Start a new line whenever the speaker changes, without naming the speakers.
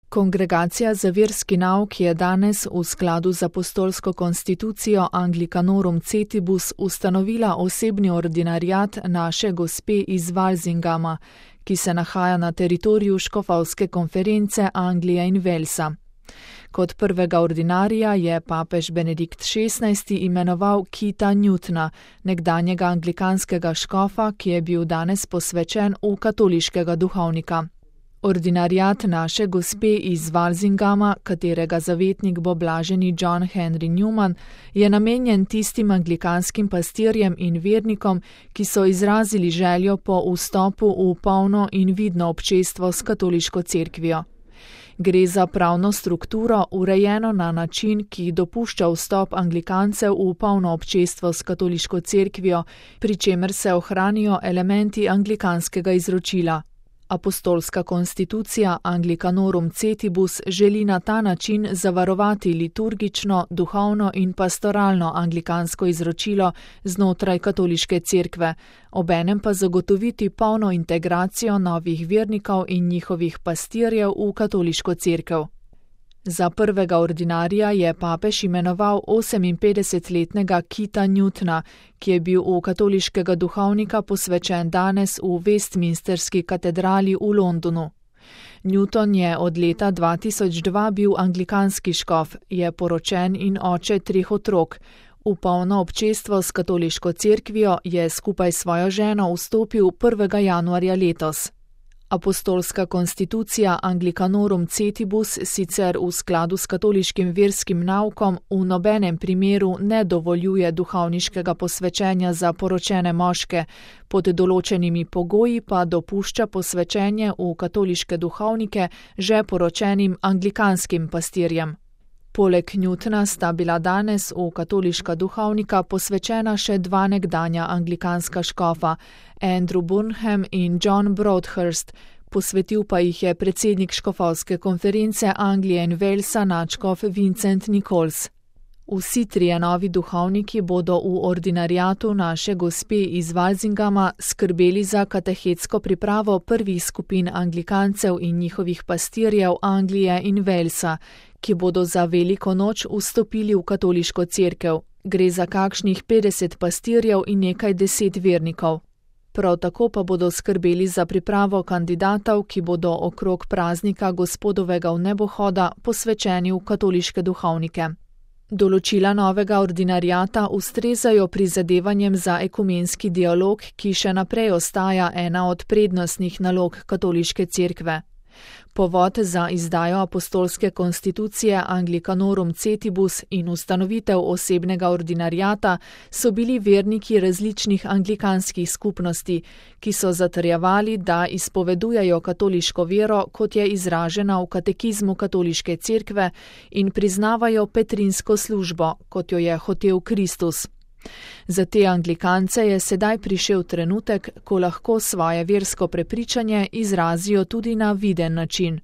Kongregacija za verski nauk je danes v skladu z apostolsko konstitucijo Anglicanorum Cetibus ustanovila osebni ordinariat Naše Gospe iz Walsingama, ki se nahaja na teritoriju škofovske konference Anglije in Walesa. Kot prvega ordinarija je papež Benedikt XVI imenoval Kita Newtona, nekdanjega anglikanskega škofa, ki je bil danes posvečen v katoliškega duhovnika. Ordinariat Naše Gospe iz Walsingama, katerega zavetnik bo blaženi John Henry Newman, je namenjen tistim anglikanskim pastirjem in vernikom, ki so izrazili željo po vstopu v polno in vidno občestvo s katoliško cerkvijo. Gre za pravno strukturo, urejeno na način, ki dopušča vstop anglikancev v polno občestvo s katoliško cerkvijo, pri čemer se ohranijo elementi anglikanskega izročila. Apostolska konstitucija Anglicanorum Cetibus želi na ta način zavarovati liturgično, duhovno in pastoralno anglikansko izročilo znotraj katoliške cerkve, obenem pa zagotoviti polno integracijo novih vernikov in njihovih pastirjev v katoliško cerkev. Za prvega ordinarija je papež imenoval 58-letnega Kita Newtona, ki je bil v katoliškega duhovnika posvečen danes v Westminsterski katedrali v Londonu. Newton je od leta 2002 bil anglikanski škof, je poročen in oče 3 otrok. V polno občestvo s katoliško cerkvijo je skupaj s svojo ženo vstopil 1. januarja letos. Apostolska konstitucija Anglicanorum Cetibus sicer v skladu s katoliškim verskim naukom v nobenem primeru ne dovoljuje duhovniškega posvečenja za poročene moške, pod določenimi pogoji pa dopušča posvečenje v katoliške duhovnike že poročenim anglikanskim pastirjem. Poleg Newtona sta bila danes v katoliška duhovnika posvečena še 2 nekdanja anglikanska škofa, Andrew Burnham in John Broadhurst, posvetil pa jih je predsednik škofovske konference Anglije in Walesa nadškof Vincent Nichols. Vsi 3 novi duhovniki bodo v ordinariatu Naše Gospe iz Walsingama skrbeli za katehetsko pripravo prvih skupin anglikancev in njihovih pastirjev Anglije in Walesa, ki bodo za veliko noč vstopili v katoliško cerkev. Gre za kakšnih 50 pastirjev in nekaj 10 vernikov. Prav tako pa bodo skrbeli za pripravo kandidatov, ki bodo okrog praznika Gospodovega vnebohoda posvečeni v katoliške duhovnike. Določila novega ordinariata ustrezajo prizadevanjem za ekumenski dialog, ki še naprej ostaja ena od prednostnih nalog katoliške cerkve. Povod za izdajo apostolske konstitucije Anglicanorum Cetibus in ustanovitev osebnega ordinariata so bili verniki različnih anglikanskih skupnosti, ki so zatrjevali, da izpovedujejo katoliško vero, kot je izražena v katekizmu katoliške cerkve, in priznavajo petrinsko službo, kot jo je hotel Kristus. Za te anglikance je sedaj prišel trenutek, ko lahko svoje versko prepričanje izrazijo tudi na viden način.